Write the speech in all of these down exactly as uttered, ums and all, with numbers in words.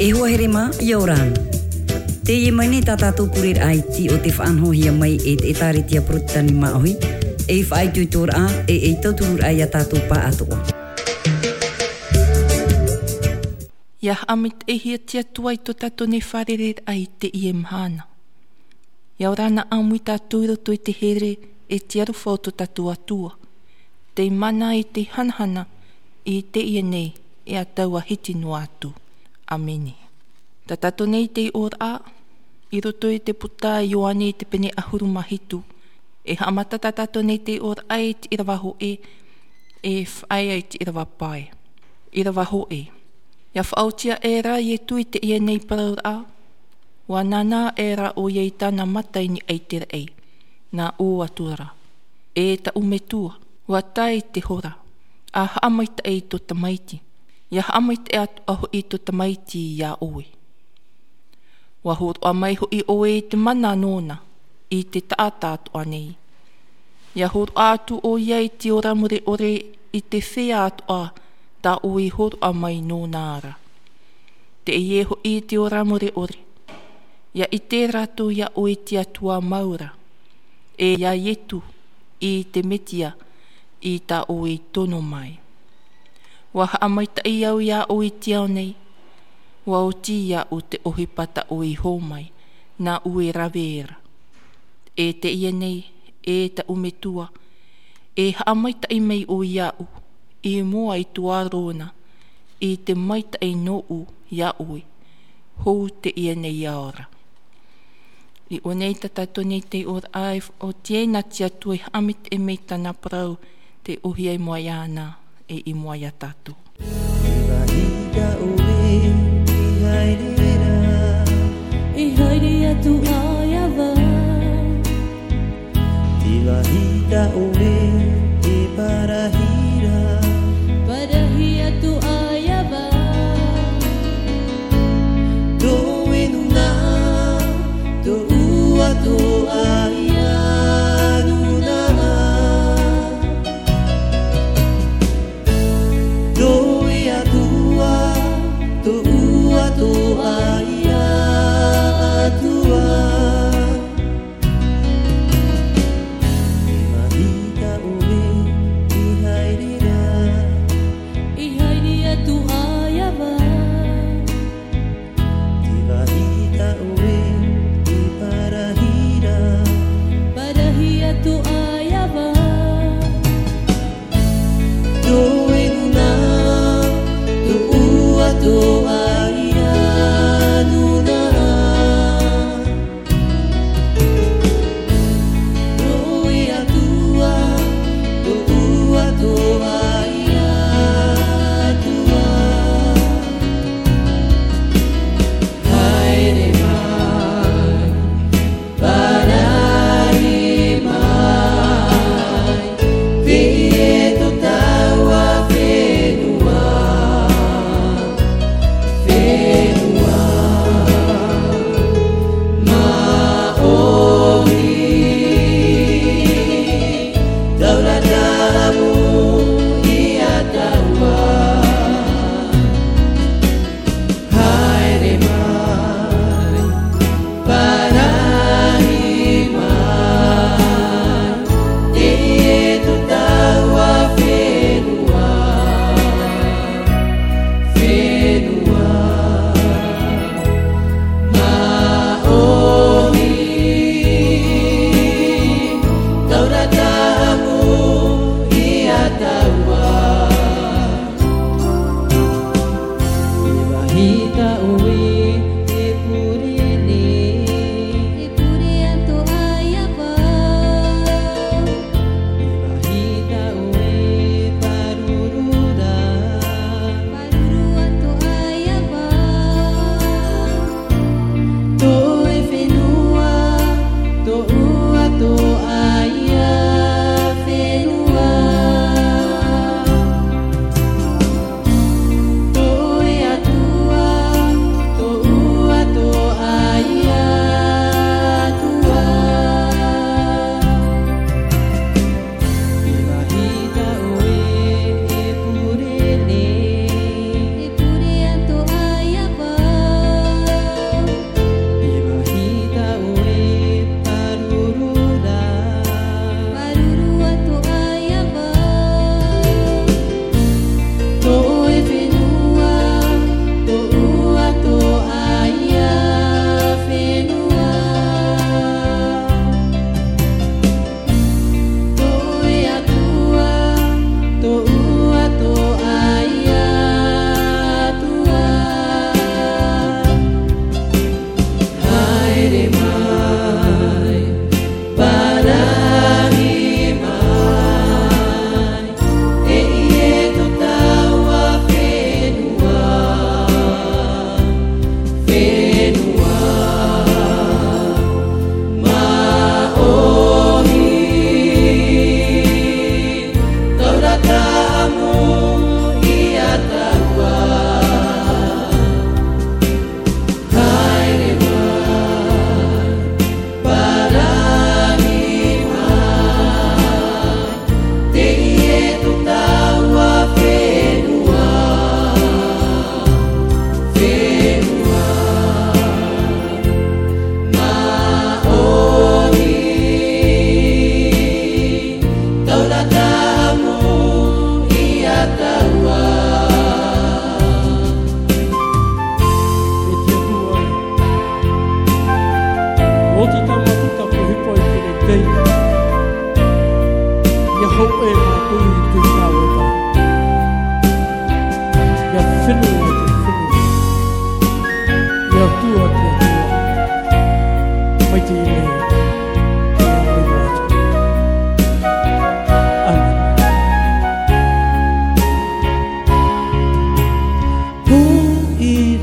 E hoa here mā, ʻia ora na. Teie mai nei tā tātou pureraʻa iti o tē faʻanahohia mai e te ʻĒtārētia Porotitani Māʻohi, ei faʻaitoitoraʻa, e ei tautururaʻa ia tātou pāʻatoʻa. ʻIa haʻamaitaʻihia te Atua i tō tātou nei fārereiraʻa i teie mahana. ʻIa ora na ʻāmui tātou i roto i te here e te aroha o tō tātou Atua, tei mana e tei hanahana i teie nei e ʻa taua hiti noa atu. ʻĀmene. Tā tātou nei tei ʻōraʻa i roto i te puta a Ioane i te pene ʻahuru mā hitu. E haʻamata tā tātou nei tei ʻōraʻa i te ʻīrava hōʻē, e faʻaea i te ʻīrava pae. ʻĪrava hōʻē. ʻIa faʻaotia aʻera Ietu i teie nei parauraʻa, ʻua nānā aʻera ʻoia i tāna mata i niʻa i te raʻi, nā ʻō atu ra: E taʻu Metua, ʻua tae te hora, ʻa haʻamaitaʻi i tō Tamaiti, ʻia haʻamaitaʻi atoʻa hoʻi tō Tamaiti iā ʻoe. ʻUa hōroʻa mai hoʻi ʻoe i te mana nōna i te taʻata atoʻa nei. ʻIa hōroʻa atu ʻoia i te ora mure ʻore i te feiā atoʻa tā ʻoe i hōroʻa mai nōna ra. Teie hoʻi te ora mure ʻore, ʻia ʻite rātou iā ʻoe te Atua mau ra, e iā Ietu i te Metia i tā ʻoe i tono mai. ʻUa haʻamaitaʻi au iā ʻoe i te ao nei, ʻua oti iāʻu te ʻohipa tā ʻoe i hō mai, nā ʻoe e rave ra. E teie nei, e taʻu Metua, e haʻamaitaʻi mai ʻoe iāʻu, i mua i tō ʻArona, i te maitaʻi nōʻu iā ʻoe, hou teie nei ao ra. I ʻō nei tā tātou nei tei ʻōraʻa, e faʻaoti ai nā te Atua e haʻamaitaʻi mai tāna parau, tei ʻōhie i mua iāna, e i mua iā tātou. Te vāhi tā ʻoe i haere ra, i haere atu ai ā vau. Te vāhi tā ʻoe e parahi ra, parahi atu ai ā vau. Tō ʻoe nūnaʻa, tōʻu atoʻa ia nūnaʻa. Tō ʻoe Atua, tōʻu atoʻa ia Atua. Te vāhi tā ʻoe i haere ra, i haere atu ai ā vau. Te vāhi tā ʻoe i parahi ra, parahi atu ai ā vau. Tō ʻoe nūnaʻa, tōʻu atoʻa ia nūnaʻa. Tō ʻoe Atua, tōʻu atoʻa ia Atua. Haere mai, parahi mai, teie tō taua fenua.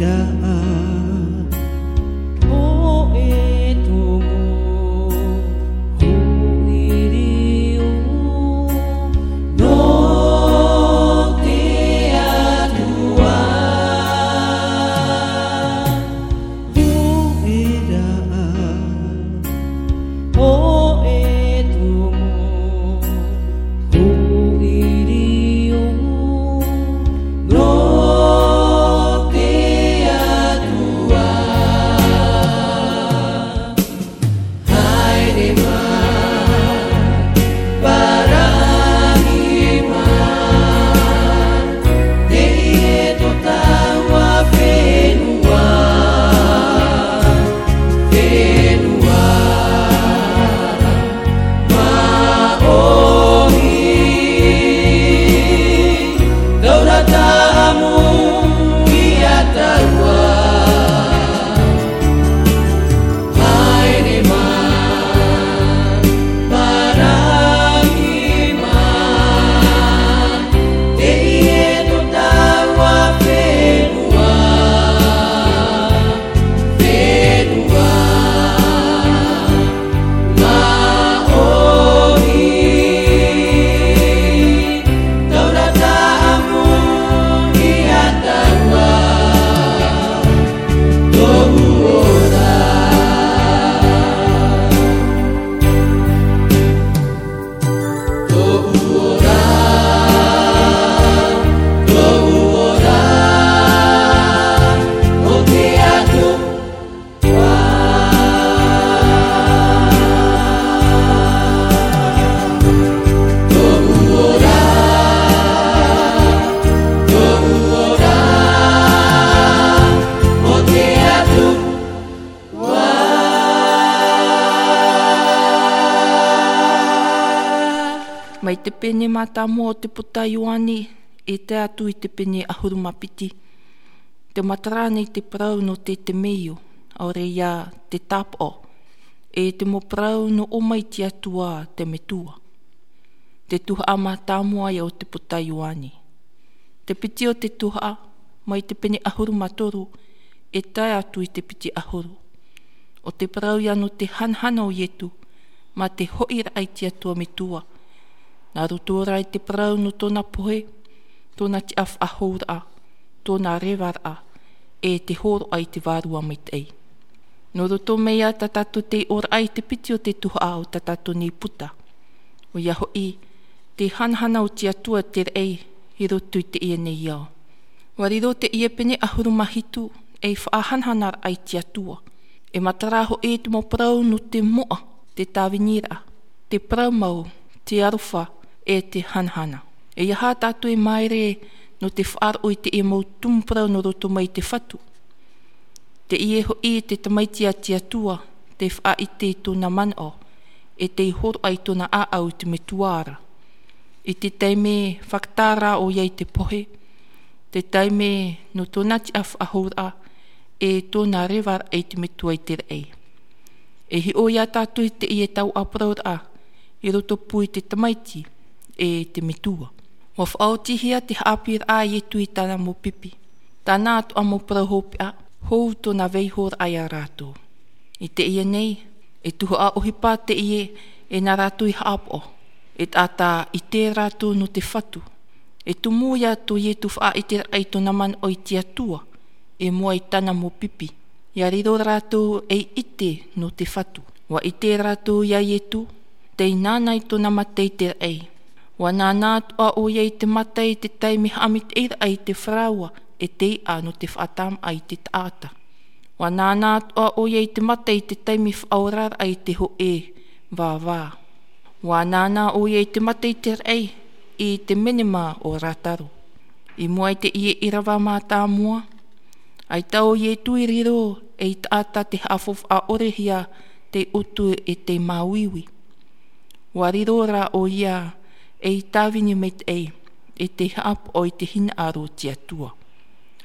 Raʻa, hōʻē tumu, hōʻē riro, nō te Atua. Hōʻē raʻa, hōʻē tumu, hōʻē riro, nō te Atua. Haere mai, parahiraʻa mai, teie tō taua fenua, fenua māʻohi. Taura tāʻamu ia tāua. Haere mai, parahiraʻa mai, teie tō taua fenua, fenua māʻohi. Taura tāʻamu ia tāua, tōʻu ora. Tōʻu ora, tōʻu ora, o te Atua. Tōʻu ora, tōʻu ora, o te Atua. Mai te pene mātāmua o te puta Ioane, e tae atu i te pene ʻahuru mā piti. Tē matara nei te parau nō te temeio, ʻaore ia te tāpaʻo, e te mau parau nō ʻō mai te Atua te Metua. Te tuhaʻa mātāmua ia o te puta Ioane. Te piti o te tuhaʻa, mai te pene ʻahuru mā toru, e tae atu i te piti ʻahuru. ʻO te parau ia nō te hanahana o Ietu, mā te hoʻiraʻa i te Atua Metua. Nā roto rā i te parau nō tōna pohe, tōna tiʻafaʻahouraʻa, tōna revaraʻa, e te hōroʻa i te Vārua Maitaʻi. Nō roto mai ia tā tātou tei ʻoraʻa i te piti o te tuhaʻa o tā tātou nei puta. ʻOia hoʻi, te hanahana o te Atua te raʻi i roto i teie nei ao. ʻUa riro teie pene ʻahuru mā hitu ei faʻahanahanaraʻa i te Atua. E matara hoʻi te mau parau nō te moʻa, te tāviniraʻa, te parau mau, te aroha, e te hanahana. E aha tātou e māere nō te faʻaroʻo i teie mau tumu parau nō roto mai i te Fatu? Teie hoʻi te Tamaiti a te Atua, tē faʻaʻite i tōna manaʻo, e tē hōroʻa i tōna ʻāʻau i te Metua ra. I te taime fakatara ʻoia i te pohe, te taime nō tōna tiʻafaʻahouraʻa, e tōna revaraʻa i te Metua i te raʻi. E hiʻo ia tātou i teie taoʻa parauraʻa, i roto pū i te Tamaiti, e te Metua. ʻUa faʻaotihia te haʻapiʻiraʻa a Ietu i tāna mau pipi. Tāna atoʻa mau parau hopeʻa, hou tōna vaiihoraʻa ia rātou. I teie nei, e tuhaʻa ʻohipa teie e nā rātou i haʻapaʻo, e taʻata ʻite rātou nō te Fatu. E tumu ia tō Ietu faʻaʻiteraʻa i tōna manaʻo i te Atua, e mua i tāna mau pipi. ʻIa riro rātou ei ʻite nō te Fatu. ʻUa ʻite rātou ia Ietu, tei nānā i tōna mata i te raʻi. ʻUa nānā atoʻa ʻoia i te mata i te taime haʻamaitaʻiraʻa i te faraoa, e te iʻa nō te faʻatamaʻa i te taʻata. ʻUa nānā atoʻa ʻoia i te mata i te taime faʻaoraraʻa i te hōʻē vāvā. ʻUa nānā ʻoia i te mata i te raʻi, i te menema o Lāzaro. I mua i teie ʻīrava mātāmua, ʻaita ʻo Ietu i riro ei taʻata tē haʻafaufaʻa ʻore hia tei ʻutu e tei māuiui. ʻUa riro rā ʻoia ei tāvini maitaʻi, e tei haʻapaʻo i te hinaʻaro o te Atua.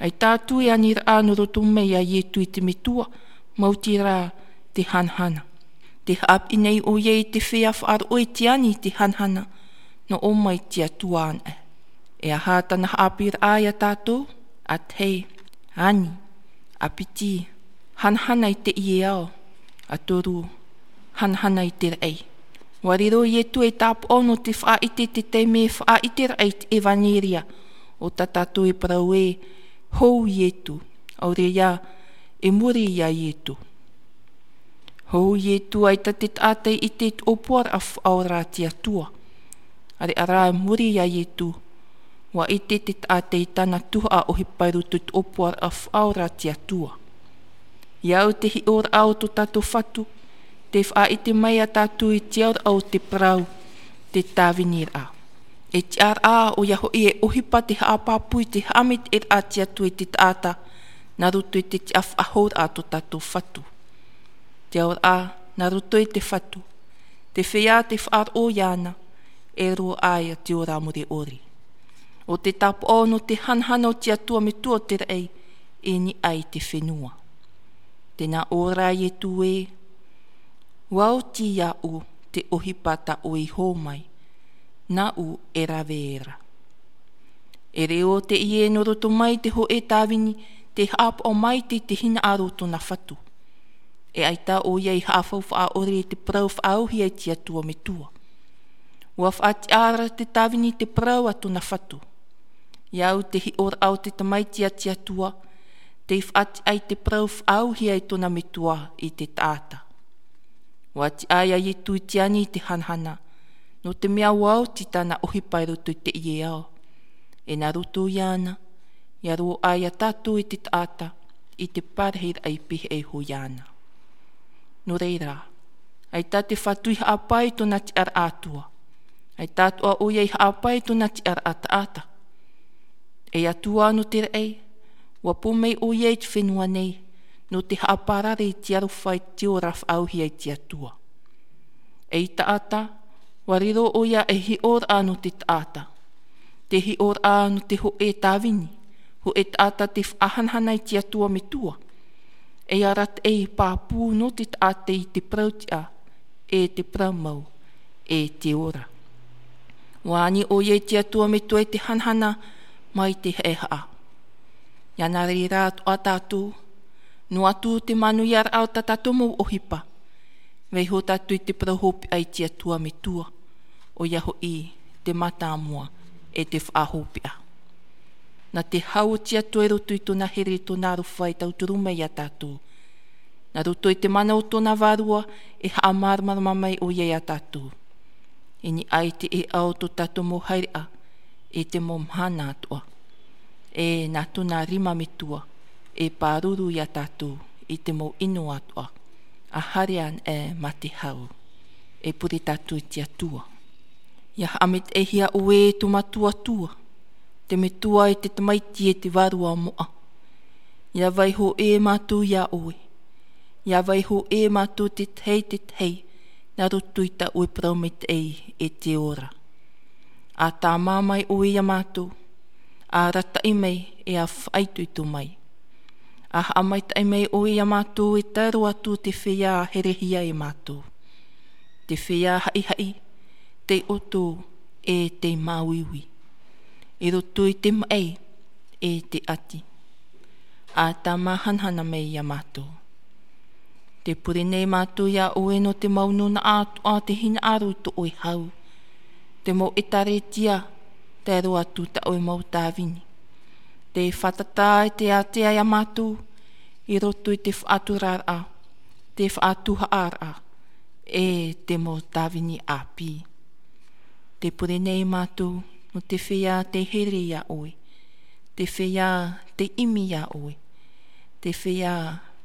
ʻAita atu e aniraʻa nō roto mai ia Ietu i te Metua, maoti rā te hanahana. Tē haʻapiʻi nei ʻoia i te feiā faʻaroʻo i te ani i te hanahana, nō ʻō mai te Atua anaʻe. E aha tāna haʻapiʻiraʻa ia tātou? ʻA tahi, ani. A piti, hanahana i teie ao. A toru, hanahana i te raʻi. ʻUa riro Ietu ei tāpaʻo nō te faʻaʻite i te taime e faʻaʻite raʻi i te ʻevaneria, ʻo tā tātou e parau ē, hou Ietu, ʻaore rā, e muri ia Ietu. Hou Ietu, ʻaita te taʻata i ʻite i te ʻōpuaraʻa faʻaora a te Atua. ʻĀreʻa rā e muri ia Ietu, ʻua ʻite te taʻata i tāna tuhaʻa ʻohipa i roto i te ʻōpuaraʻa faʻaora a te Atua. ʻIa au te hiʻoraʻa o tō tātou Fatu, tē faʻaʻite mai ia tātou i te auraʻa o te parau, te tāviniraʻa. E tiʻaraʻa, ʻoia hoʻi e ʻohipa tē haʻapāpū i te haʻamaitaʻiraʻa a te Atua i te taʻata, nā roto i te tiʻafaʻahouraʻa a tō tātou Fatu. Te auraʻa, nā roto i te Fatu, te feiā tē faʻaroʻo iāna, e roaʻa ia te ora mure ʻore. ʻO te tāpaʻo nō te hanahana o te Atua Metua o te raʻi, i niʻa i te fenua. Tē nā ʻō ra Ietu ē, ʻua oti iāʻu te ʻohipa tā ʻoe i hō mai, nāʻu e rave ra. E reo teie nō roto mai te hōʻē tāvini, tē haʻapaʻo maitaʻi i te hinaʻaro o tōna Fatu. E ʻaita ʻoia i haʻafaufaʻa ʻore i te parau faʻaauhia i te Atua Metua. ʻUa faʻatiʻa ra te tāvini i te parau a tōna Fatu. ʻIa au te hiʻoraʻa o te tamaiti a te Atua, tē faʻatiʻa i te parau faʻaauhia e tōna Metua i te taʻata. ʻUa tiʻa ia Ietu i te ani i te hanahana, nō te mea ʻua oti tāna ʻohipa i roto i teie ao. E nā roto iāna, ʻia roaʻa ia tātou i te taʻata, i te parahiraʻa i pīhaʻi iho iāna. Nō reira, ʻaita te Fatu i haʻapae i tōna tiʻaraʻa Atua. ʻAita atoʻa ʻoia i haʻapae i tōna tiʻaraʻa taʻata. E Atua nō te raʻi, ʻua pō mai ʻoia i te fenua nei, nō te haʻaparare i te aroha i te ora faʻaauhia i te Atua. Ei taʻata, ʻua riro ʻoia ei hiʻoraʻa nō te taʻata. Te hiʻoraʻa nō te hōʻē tāvini, hōʻē taʻata tē faʻahanahana i te Atua Metua. Ei arataʻi pāpū nō te taʻata i te parau-tiʻa, e te parau mau, e te ora. ʻUa ani ʻoia i te Atua Metua i te hanahana mai te haʻehaʻa. ʻIa nā reira atoʻa tātou, noa atu te manuiaraʻa o tā tātou mau ʻohipa. Vaiiho tātou i te parau hopeʻa i te Atua Metua, ʻoia hoʻi te mātāmua e te faʻahopeʻa. Nā te hau o te Atua i roto i tōna here, tōna aroha e tauturu mai ia tātou. Nā roto i te mana o tōna Vārua e haʻamāramarama mai ʻoia ia tātou. I niʻa i te ʻēʻa o tō tātou mau haereʻa, i te mau mahana atoʻa. E nā tōna rima metua, e pāruru ia tātou i te mau ʻino atoʻa. ʻA haere anaʻe mā te hau, e pure tātou i te Atua. ʻIa haʻamaitaʻihia ʻoe e tō mātou Atua, te Metua e te Tamaiti e te Vārua moʻa. ʻIa vaiiho ʻē mātou ia ʻoe. ʻIa vaiiho ʻē mātou te tahi i te tahi, nā roto i tā ʻoe parau maitaʻi e te ora. ʻA tāmā mai ʻoe ia mātou, ʻa arataʻi mai e ʻa faʻaitoito mai. ʻA haʻamaitaʻi mai ʻoe ia mātou e tae roa atu te feiā ʻa herehia e mātou. Te feiā haʻihaʻi, tei ʻoto, e tei māuiui. I roto i te maʻi, e te ʻati. ʻA tāmā hanahana mai ia mātou. Tē pure nei mātou ia ʻoe nō te mau nūnaʻa atoʻa, te hinaʻaro i tō ʻoe hau. Te mau ʻēkālesia, tae roa atu tā ʻoe mau tāvini. Tē fātata e tē ātea ia mātou, i roto i te faʻaturaraʻa, te faʻatuhaʻaraʻa, e te mau tāvini ʻāpī. Tē pure nei mātou, nō te feiā tei here ia ʻoe, te feiā tei ʻimi ia ʻoe, te feiā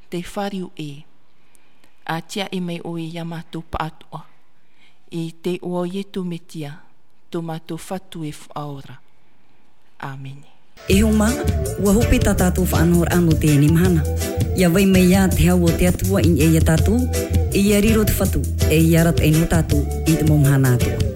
tei fāriu ʻē. ʻA tiaʻi mai ʻoe ia mātou pāʻatoʻa, i te iʻoa o Ietu Metia, tō mātou Fatu e Faʻaora. ʻĀmene. E hoa mā, ʻua hope tā tātou faʻanahoraʻa nō teie mahana. ʻIa vai mai ā te hau o te Atua i niʻa ia tātou, e ʻia riro te Fatu, e ʻia arataʻi nō tātou i te mau mahana atoʻa.